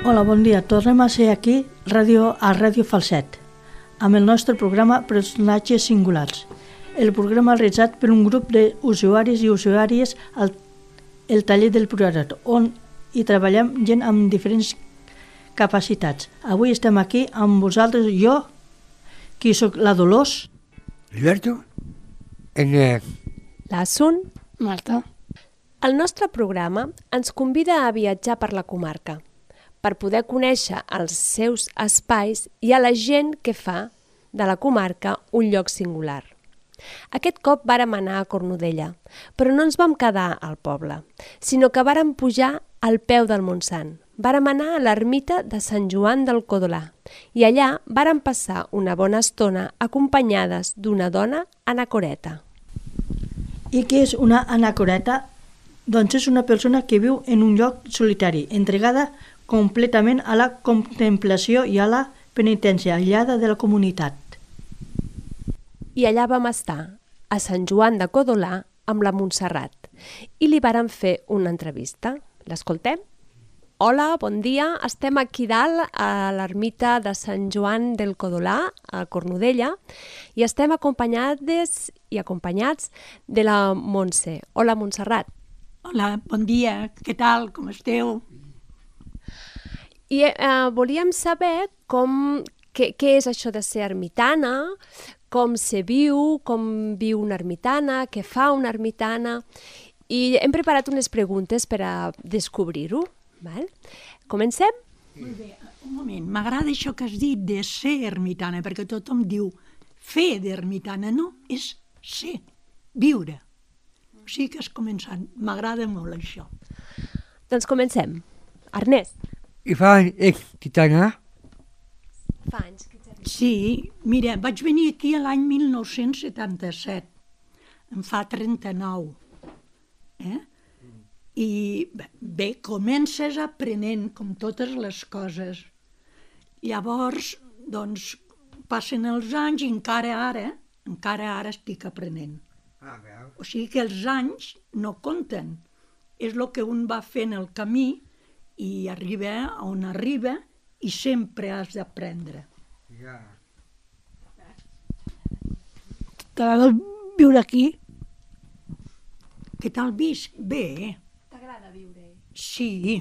Hola, bon dia. Tornem a ser aquí a Ràdio Falset, amb el nostre programa Personatges Singulars. El programa realitzat per un grup d'usuaris i usuàries al taller del Priorat, on hi treballem gent amb diferents capacitats. Avui estem aquí amb vosaltres, jo, qui sóc la Dolors, Alberto, Enric, la Sun. Marta. El nostre programa ens convida a viatjar per la comarca, per poder conèixer els seus espais i a la gent que fa de la comarca un lloc singular. Aquest cop vàrem anar a Cornudella, però no ens vam quedar al poble, sinó que vàrem pujar al peu del Montsant. Vàrem anar a l'ermita de Sant Joan del Codolà i allà vàrem passar una bona estona acompanyades d'una dona anacoreta. I què és una anacoreta? Doncs és una persona que viu en un lloc solitari, entregada completament a la contemplació i a la penitència, aïllada de la comunitat. I allà vam estar, a Sant Joan de Codolà, amb la Montserrat, i li vàrem fer una entrevista. L'escoltem? Hola, bon dia. Estem aquí dalt a l'ermita de Sant Joan del Codolà, a Cornudella, i estem acompanyats de la Montse. Hola, Montserrat. Hola, bon dia. Què tal? Com esteu? I volíem saber què és això de ser ermitana, com se viu, com viu una ermitana, què fa una ermitana, i hem preparat unes preguntes per a descobrir-ho. Val? Comencem? Molt bé, un moment. M'agrada això que has dit de ser ermitana, perquè tothom diu fer d'ermitana. No, és ser, viure. O sigui que has començat. M'agrada molt això. Doncs comencem. Ernest. I fa anys que t'anà? Fa anys que t'ha vist. Sí, mira, vaig venir aquí l'any 1977. Em fa 39. I bé, comences aprenent com totes les coses. Llavors, doncs, passen els anys i encara ara estic aprenent. O sigui que els anys no compten. És el que un va fent el camí i arriba on arriba i sempre has d'aprendre. T'agrada viure aquí? Què tal visc? Bé. T'agrada viure? Sí.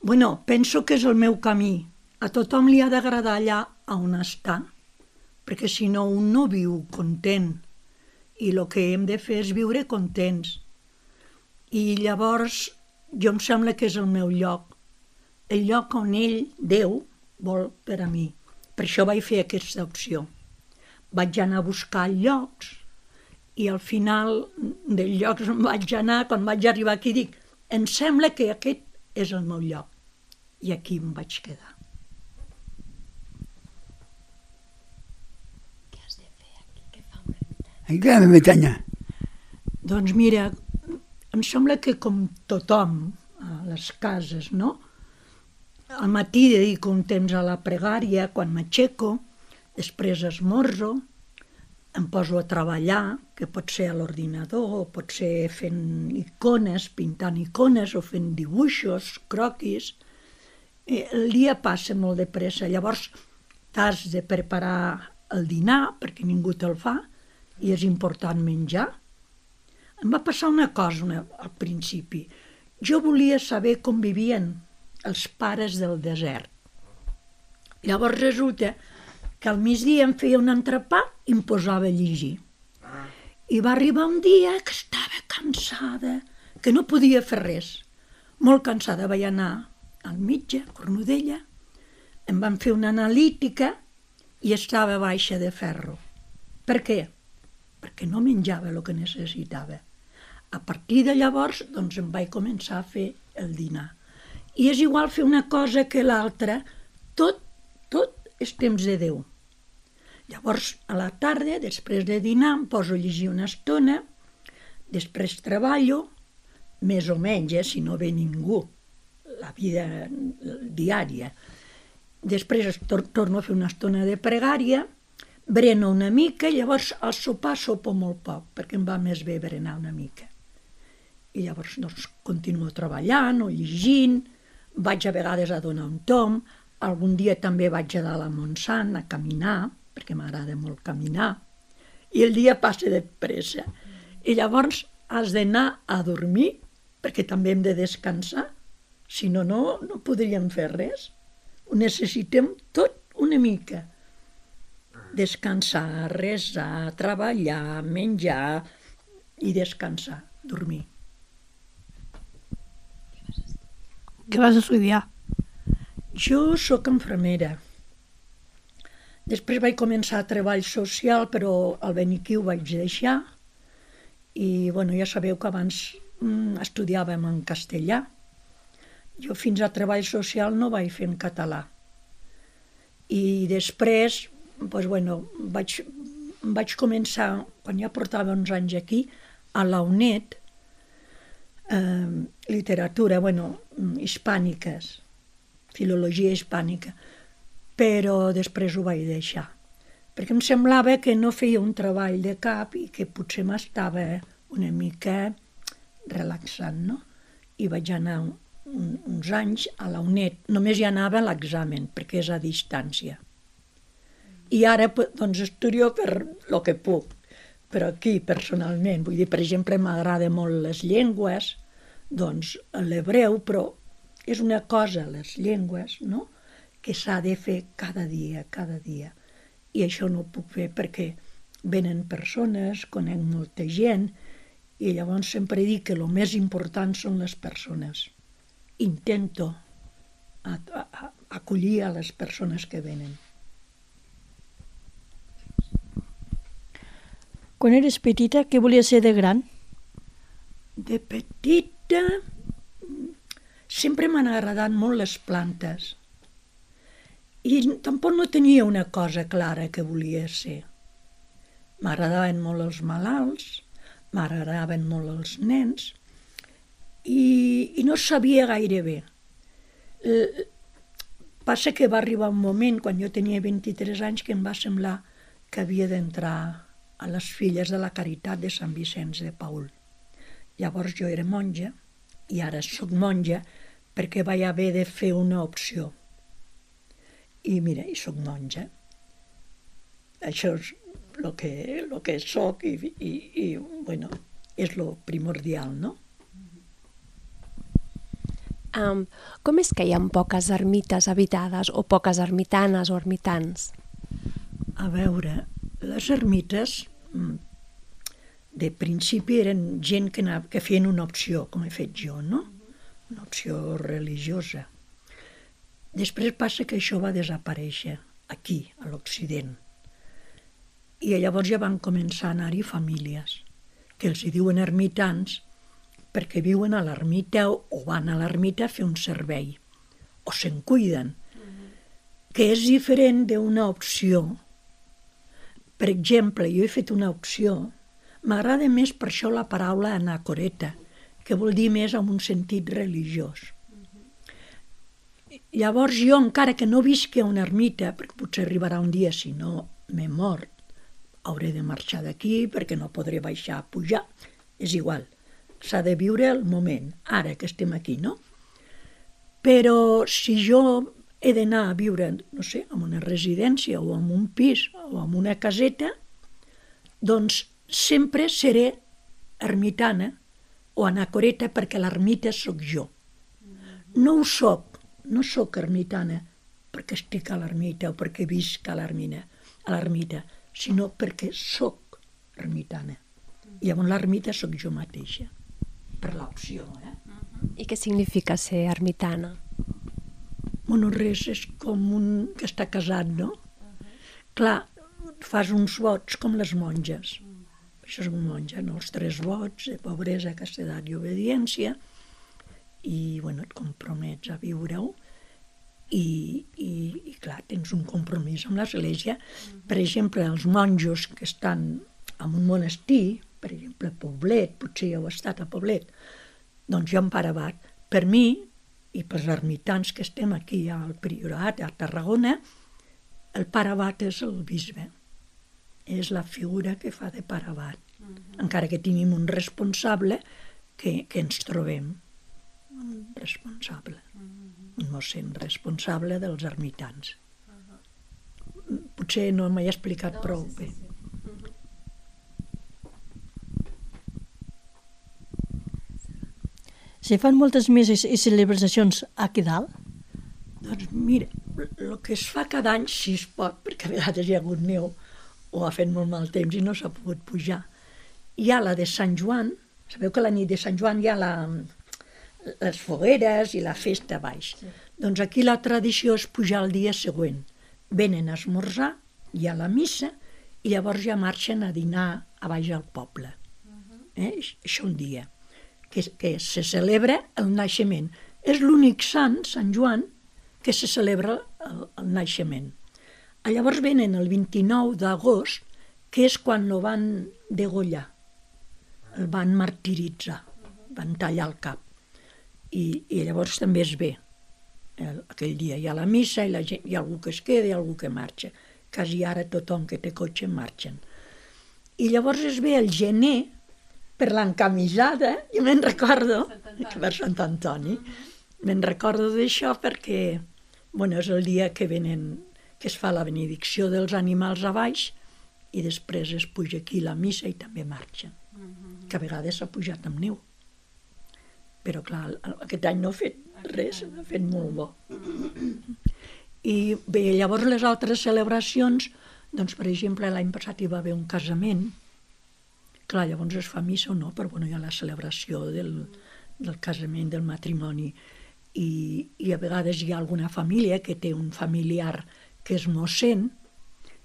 Bueno, penso que és el meu camí. A tothom li ha d'agradar allà on està, perquè si no un no viu content. I el que hem de fer és viure contents. I llavors jo em sembla que és el meu lloc. El lloc on ell, Déu, vol per a mi. Per això vaig fer aquesta opció. Vaig anar a buscar llocs i al final dels llocs on vaig anar, quan vaig arribar aquí, dic, em sembla que aquest és el meu lloc. I aquí em vaig quedar. Què has de fer aquí? Què fa una ermitana? En què ermitana? Doncs mira, em sembla que com tothom a les cases, no? Al matí dedico un temps a la pregària, quan m'aixeco, després esmorzo, em poso a treballar, que pot ser a l'ordinador, o pot ser fent icones, pintant icones, o fent dibuixos, croquis. El dia passa molt de pressa, llavors t'has de preparar el dinar, perquè ningú te'l fa, i és important menjar. Em va passar una cosa al principi. Jo volia saber com vivien els pares del desert. Llavors resulta que al migdia em feia un entrepà i em posava a llegir. I va arribar un dia que estava cansada, que no podia fer res. Molt cansada. Vaig anar al metge, a Cornudella, em van fer una analítica i estava baixa de ferro. Per què? Perquè no menjava el que necessitava. A partir de llavors, doncs, em vaig començar a fer el dinar. I és igual fer una cosa que l'altra, tot és temps de Déu. Llavors, a la tarda, després de dinar, em poso a llegir una estona, després treballo, més o menys, si no ve ningú, la vida diària. Després torno a fer una estona de pregària, breno una mica, llavors al sopar sopo molt poc, perquè em va més bé berenar una mica. I llavors doncs, continuo treballant o llegint, vaig a vegades a donar un tomb, algun dia també vaig a dalt a Montsant a caminar, perquè m'agrada molt caminar, i el dia passa de pressa. I llavors has d'anar a dormir, perquè també hem de descansar, si no, no podríem fer res. Ho necessitem tot una mica. Descansar, resar, treballar, menjar i descansar, dormir. Què vas estudiar? Jo sóc infermera. Després vaig començar a treball social, però al Beniquiu vaig deixar. I ja sabeu que abans estudiàvem en castellà. Jo fins a treball social no vaig fer en català. I després vaig començar, quan ja portava uns anys aquí, a la UNED, literatura, hispàniques, filologia hispànica, però després ho vaig deixar, perquè em semblava que no feia un treball de cap i que potser m'estava una mica relaxant, no? I vaig anar uns anys a la UNED, només hi anava a l'examen, perquè és a distància. I ara estudio per el que puc, però aquí personalment, vull dir, per exemple, m'agrada molt les llengües, doncs l'hebreu, però és una cosa, les llengües, no?, que s'ha de fer cada dia. I això no ho puc fer perquè venen persones, conec molta gent, i llavors sempre dic que el més important són les persones. Intento acollir a les persones que venen. Quan eres petita, què volies ser de gran? De petita sempre m'han agradat molt les plantes. I tampoc no tenia una cosa clara que volia ser. M'agradaven molt els malalts, m'agradaven molt els nens, i no sabia gaire bé. Passa que va arribar un moment, quan jo tenia 23 anys, que em va semblar que havia d'entrar a les Filles de la Caritat de Sant Vicenç de Paül. Llavors jo era monja, i ara soc monja, perquè vaig haver de fer una opció. I mira, i soc monja. Això és el que soc i és el primordial, no? Com és que hi ha poques ermites habitades o poques ermitanes o ermitans? A veure, les ermites de principi eren gent que feien una opció, com he fet jo, no? Una opció religiosa. Després passa que això va desaparèixer aquí, a l'Occident. I llavors ja van començar a anar-hi famílies, que els hi diuen ermitans perquè viuen a l'ermita o van a l'ermita a fer un servei, o se'n cuiden, que és diferent d'una opció. Per exemple, jo he fet una opció, m'agrada més per això la paraula anacoreta, que vol dir més en un sentit religiós. Llavors jo, encara que no visqui a una ermita, perquè potser arribarà un dia, si no m'he mort, hauré de marxar d'aquí perquè no podré baixar a pujar, és igual, s'ha de viure el moment, ara que estem aquí, no? Però si jo he d'anar a viure, no sé, en una residència o en un pis o en una caseta, doncs sempre seré ermitana o anacoreta perquè l'ermita sóc jo. No ho soc, no sóc ermitana perquè estic a l'ermita o perquè visc a l'ermita, sinó perquè sóc ermitana. I llavors l'ermita sóc jo mateixa, per l'opció. I què significa ser ermitana? Bueno, res, és com un que està casat, no? Clar, fas uns vots com les monges. Això és un monja, no? Els 3 vots de pobresa, castedat i obediència, i et compromets a viure-ho, i clar, tens un compromís amb l'Església. Per exemple, els monjos que estan en un monestir, per exemple, Poblet, potser ja heu estat a Poblet, doncs jo en Pare Abat, per mi, i pels ermitans que estem aquí al Priorat, a Tarragona, el Pare Abat és el bisbe. És la figura que fa de Pare Abat. Encara que tenim un responsable que ens trobem. Un responsable. un mossèn responsable dels ermitans. Potser no m'he explicat prou bé. Se fan moltes misses i celebracions aquí dalt? Doncs mira, el que es fa cada any, si es pot, perquè a vegades hi ha hagut neu o ha fet molt mal temps i no s'ha pogut pujar, hi ha la de Sant Joan. Sabeu que la nit de Sant Joan hi ha les fogueres i la festa a baix. Sí. Doncs aquí la tradició és pujar el dia següent. Venen a esmorzar, hi ha la missa, i llavors ja marxen a dinar a baix al poble. Això un dia. Que se celebra el naixement. És l'únic sant, Sant Joan, que se celebra el naixement. Llavors venen el 29 d'agost, que és quan el van degollar, el van martiritzar, van tallar el cap. I llavors també es ve. Aquell dia hi ha la missa i hi ha algú que es queda i algú que marxa. Quasi ara tothom que té cotxe marxen. I llavors es ve el gener per l'encamisada, jo me'n recordo, per Sant Antoni, me'n recordo d'això perquè és el dia que es fa la benedicció dels animals a baix i després es puja aquí la missa i també marxen, que a vegades s'ha pujat amb neu. Però clar, aquest any no ha fet res, ha fet molt bo. I bé, llavors les altres celebracions, doncs per exemple l'any passat hi va haver un casament. Clar, llavors es fa missa o no, però hi ha la celebració del casament, del matrimoni. I a vegades hi ha alguna família que té un familiar que és mossèn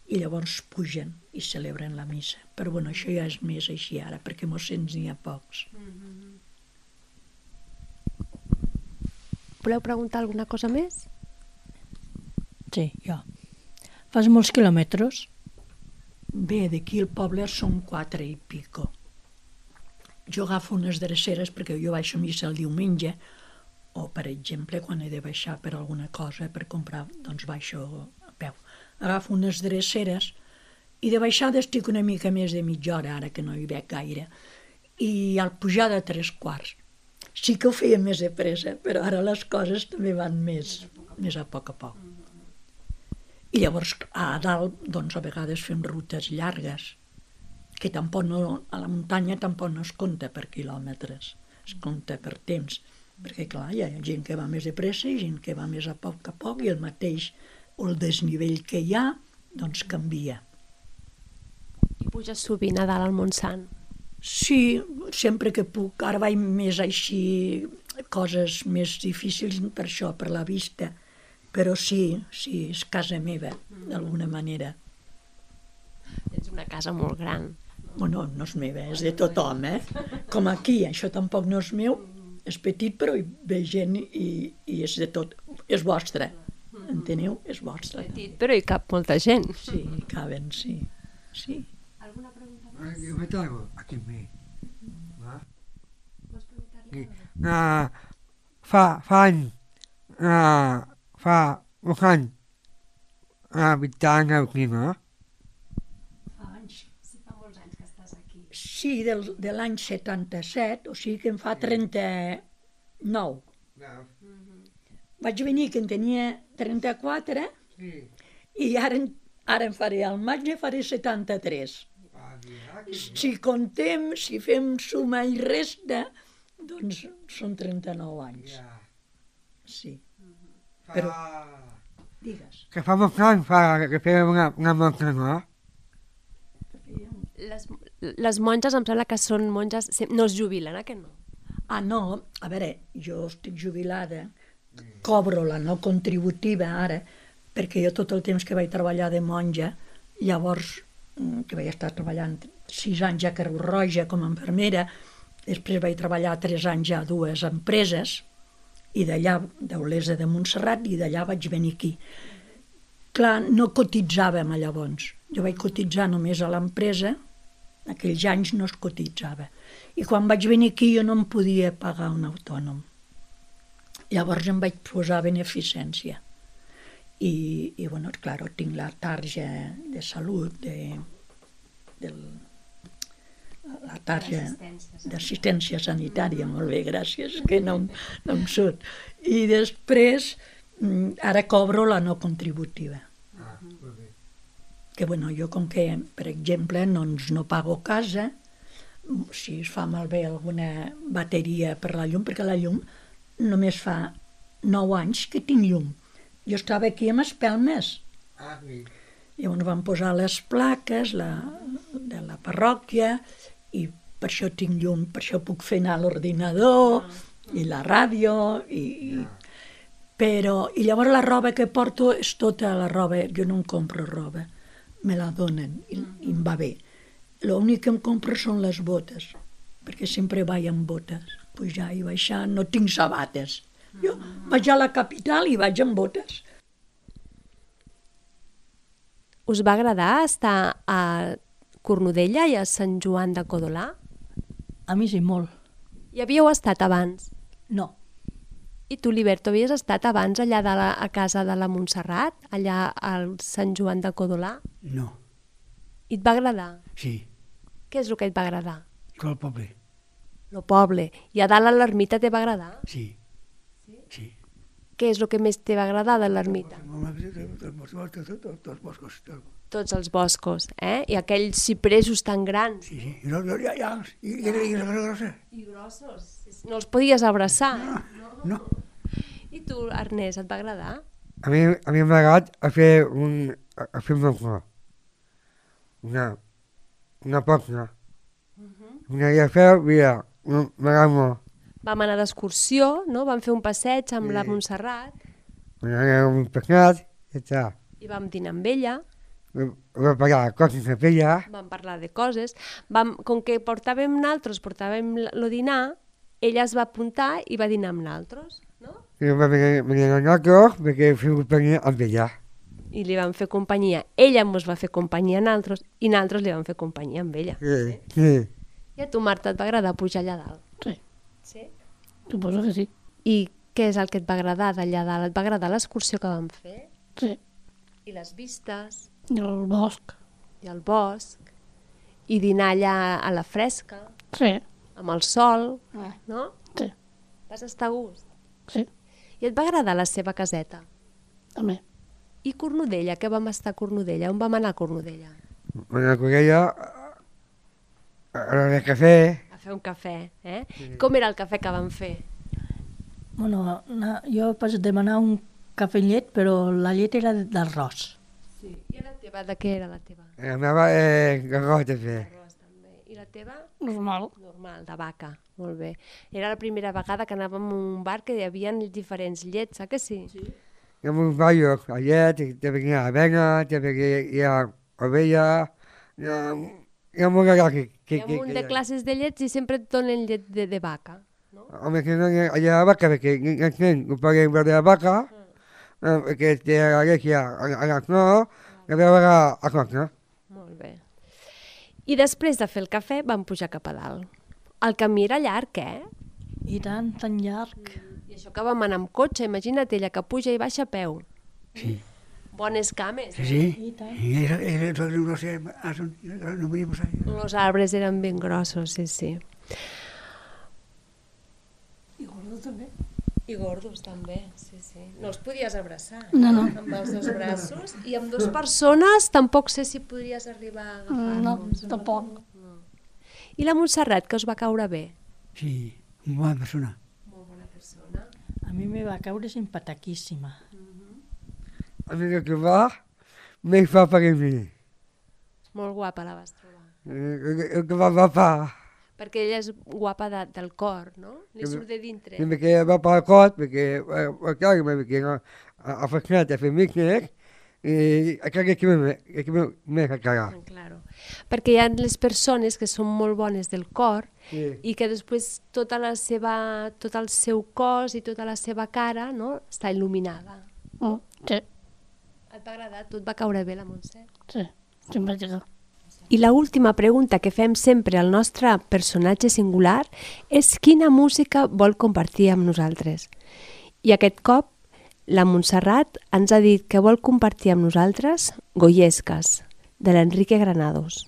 i llavors pugen i celebren la missa. Però això ja és més així ara, perquè mossèns n'hi ha pocs. Voleu preguntar alguna cosa més? Sí, jo. Fas molts quilòmetres? Bé, d'aquí al poble són 4 i pico. Jo agafo unes dreceres perquè jo baixo a missa el diumenge, o per exemple quan he de baixar per alguna cosa per comprar, doncs baixo a peu. Agafo unes dreceres i de baixada estic una mica més de mitja hora, ara que no hi veig gaire, i al pujar de 3/4. Sí que ho feia més de pressa, però ara les coses també van més a poc. I llavors a dalt, doncs a vegades fem rutes llargues, que tampoc no, a la muntanya tampoc no es compta per quilòmetres, es compta per temps, perquè clar, hi ha gent que va més de pressa i gent que va més a poc, i el mateix, o el desnivell que hi ha, doncs canvia. I puges sovint a dalt al Montsant? Sí, sempre que puc. Ara vaig més així, coses més difícils per això, per la vista, però sí, és casa meva, d'alguna manera. Tens una casa molt gran. No és meva, és de tothom, Com aquí, això tampoc no és meu, és petit però hi ve gent i és de tot, és vostre, enteneu? És vostre. Petit però hi cap molta gent. Sí, hi caben, sí. Alguna pregunta Yo me traigo aquí mi. Vols preguntar-li? Fa un any habitant aquí, no? Fa anys. Sí, fa molts anys que estàs aquí. Sí, de l'any 77, o sigui que em fa 39. Vaig venir que en tenia 34 i ara em faré, al maig ne faré 73. Si contem, si fem suma i resta, doncs són 39 anys. Sí. Però, digues. Que fa molts anys que fem una monja, no? Les monges em sembla que són monges... No es jubilen, que no? No, a veure, jo estic jubilada, cobro la no contributiva ara, perquè jo tot el temps que vaig treballar de monja, llavors, que vaig estar treballant 6 anys a Creu Roja com a infermera, després vaig treballar 3 anys a 2 empreses, i d'allà, d'Olesa de Montserrat, i d'allà vaig venir aquí. Clar, no cotitzàvem llavors. Jo vaig cotitzar només a l'empresa, aquells anys no es cotitzava. I quan vaig venir aquí jo no em podia pagar un autònom. Llavors em vaig posar beneficència. I clar, tinc la tarja de salut, la tarja d'assistència sanitària, molt bé, gràcies, que no em surt. I després, ara cobro la no contributiva. Que bueno, jo com que, per exemple, no pago casa, si es fa malbé alguna bateria per la llum, perquè la llum només fa 9 anys que tinc llum. Jo estava aquí amb Espelmes. Llavors van posar les plaques de la parròquia i per això tinc llum, per això puc fer anar l'ordinador i la ràdio. I llavors la roba que porto és tota la roba, jo no em compro roba, me la donen i em va bé. L'únic que em compro són les botes, perquè sempre vaig amb botes. Pujar i baixar, no tinc sabates. Jo vaig a la capital i vaig amb botes. Us va agradar estar a Cornudella i a Sant Joan de Codolà? A mi sí, molt. Hi havíeu estat abans? No. I tu, Liberto, havies estat abans allà a casa de la Montserrat, allà al Sant Joan de Codolà? No. I et va agradar? Sí. Què és el que et va agradar? El poble. El poble. I a dalt a l'ermita te va agradar? Sí. Sí. Què és el que més te va agradar de l'ermita? Tots boscos. Tots els boscos, I aquells cipressos tan grans. Sí. I grossos. I grossos. No els podies abraçar. No. I tu, Ernest, et va agradar? A mi m'ha agradat a fer una cosa. Una pòstia. Una dia a fer, mira, m'agrada molt. Vam anar d'excursió, no? Vam fer un passeig amb la Montserrat. M'agrada un pescat, i està. I vam dinar amb ella. Vam parlar de coses amb ella. Vam parlar de coses. Com que portàvem el dinar, ella es va apuntar i va dinar amb nosaltres, no? I vam venir a nosaltres perquè fem companyia amb ella. I li vam fer companyia. Ella ens va fer companyia a nosaltres i nosaltres li vam fer companyia amb ella. Sí. I a tu, Marta, et va agradar pujar allà dalt? Sí. Sí? Suposo que sí. I què és el que et va agradar d'allà dalt? Et va agradar l'excursió que vam fer? Sí. I les vistes? I el bosc. I el bosc? I dinar allà a la fresca? Sí. Amb el sol? No? Sí. Vas estar a gust? Sí. I et va agradar la seva caseta? També. I Cornudella? Què vam estar a Cornudella? On vam anar a Cornudella? Vam anar a Cornudella a la cafè. A fer un cafè, Sí. Com era el cafè que vam fer? Bueno, jo vaig demanar un cafè amb llet, però la llet era d'arròs. Sí. I la teva? De què era la teva? La meva arròs també. Arròs també. I la teva? Normal. Normal, de vaca. Molt bé. Era la primera vegada que anàvem a un bar que hi havia diferents llets, que sí? Sí. Hi ha molts barrios, la llet, també hi ha avena, també hi ha ovella, hi ha molt de llet. Hi ha un munt de classes de llets i sempre et donen llet de vaca, no? Home, que no hi ha la vaca, perquè els nens ho poden veure la vaca, perquè té la llet a la flor, i a veure a cosa. Molt bé. I després de fer el cafè vam pujar cap a dalt. El camí era llarg, I tant, tan llarg. I això que vam anar amb cotxe, imagina't ella que puja i baixa a peu. Sí. Bones cames. Sí. I tant. No podíamos salir. Los arbres eren ben grossos, sí. I gordos també. I gordos també, sí. No els podies abraçar. No. Amb els dos braços. I amb dues persones tampoc sé si podries arribar a agafar-los. No, tampoc. I la Montserrat, que us va caure bé? Sí, una bona persona. Molt bona persona. A mi me va caure simpatiquíssima. A mi el que va, me fa per mi. Molt guapa la vas trobar. El que va. Perquè ella és guapa del cor, no? Li surt de dintre. Sí, perquè va per el cor, perquè a fer a fer mícnic, i encara que m'he cagat. Claro. Perquè hi ha les persones que són molt bones del cor i que després tot el seu cos i tota la seva cara, no, està il·luminada. Sí. Et va agradar? Tu et va caure bé la Montse? Sí, simpàtica. I l'última pregunta que fem sempre al nostre personatge singular és quina música vol compartir amb nosaltres. I aquest cop la Montserrat ens ha dit que vol compartir amb nosaltres Goyesques, de l'Enrique Granados.